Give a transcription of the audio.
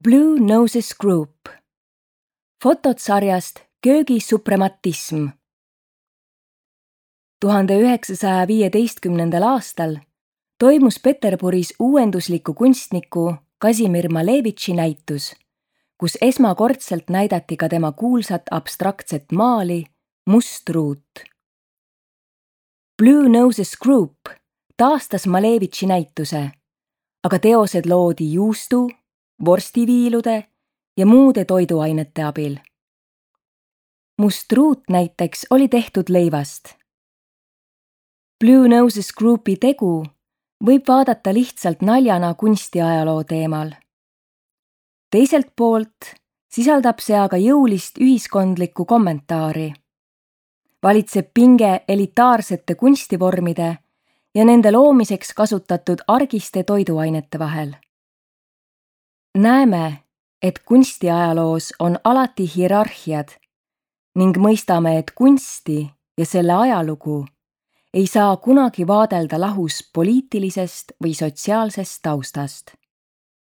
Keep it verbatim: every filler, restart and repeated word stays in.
Blue Noses Group. Fotod sarjast Köögisuprematism. tuhande üheksasaja viieteistkümnendal aastal toimus Peterburis uuendusliku kunstniku Kasimir Malevitši näitus, kus esmakordselt näidati ka tema kuulsat abstraktset maali Must ruut. Blue Noses Group taastas Malevitši näituse, aga teosed loodi juustu, vorstiviilude ja muude toiduainete abil. Must ruut näiteks oli tehtud leivast. Blue Noses Groupi tegu võib vaadata lihtsalt naljana kunstiajaloo teemal. Teiselt poolt sisaldab see aga jõulist ühiskondlikku kommentaari. Valitseb pinge elitaarsete kunstivormide ja nende loomiseks kasutatud argiste toiduainete vahel. Näeme, et kunstiajaloos on alati hierarhiad ning mõistame, et kunsti ja selle ajalugu ei saa kunagi vaadelda lahus poliitilisest või sotsiaalsest taustast.